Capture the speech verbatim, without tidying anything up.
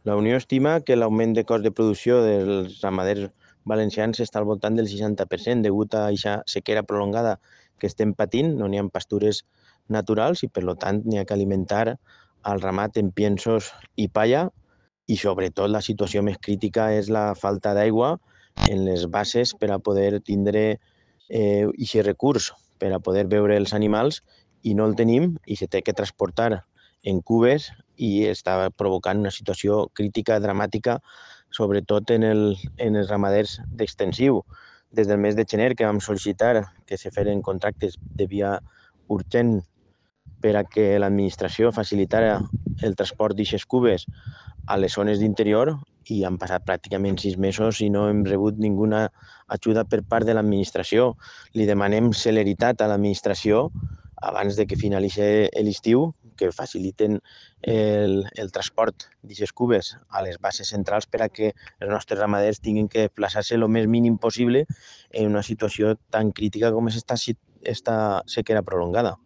La Unió estima que l'augment de cost de producció dels ramaders valencians està al voltant del seixanta per cent degut a aquesta sequera prolongada que estem patint. No n'hi ha pastures naturals i, per tant, n'hi ha que alimentar el ramat en piensos i palla, i sobretot la situació més crítica és la falta d'aigua en les basses per a poder tindre eh, aquest recurs, per a poder beure els animals, i no el tenim i se té que transportar en cubes i està provocant una situació crítica, dramàtica, sobretot en, el, en els ramaders d'extensiu. Des del mes de gener que vam sol·licitar que se feren contractes de via urgent per a que l'administració facilitara el transport d'aquestes cubes a les zones d'interior, i han passat pràcticament sis mesos i no hem rebut ninguna ajuda per part de l'administració. Li demanem celeritat a l'administració abans de que finalitzi l'estiu, que faciliten el, el transport d'aquestes cubes a les bases centrals per a que els nostres ramaders tinguin que desplaçar-se el més mínim possible en una situació tan crítica com és esta, esta sequera prolongada.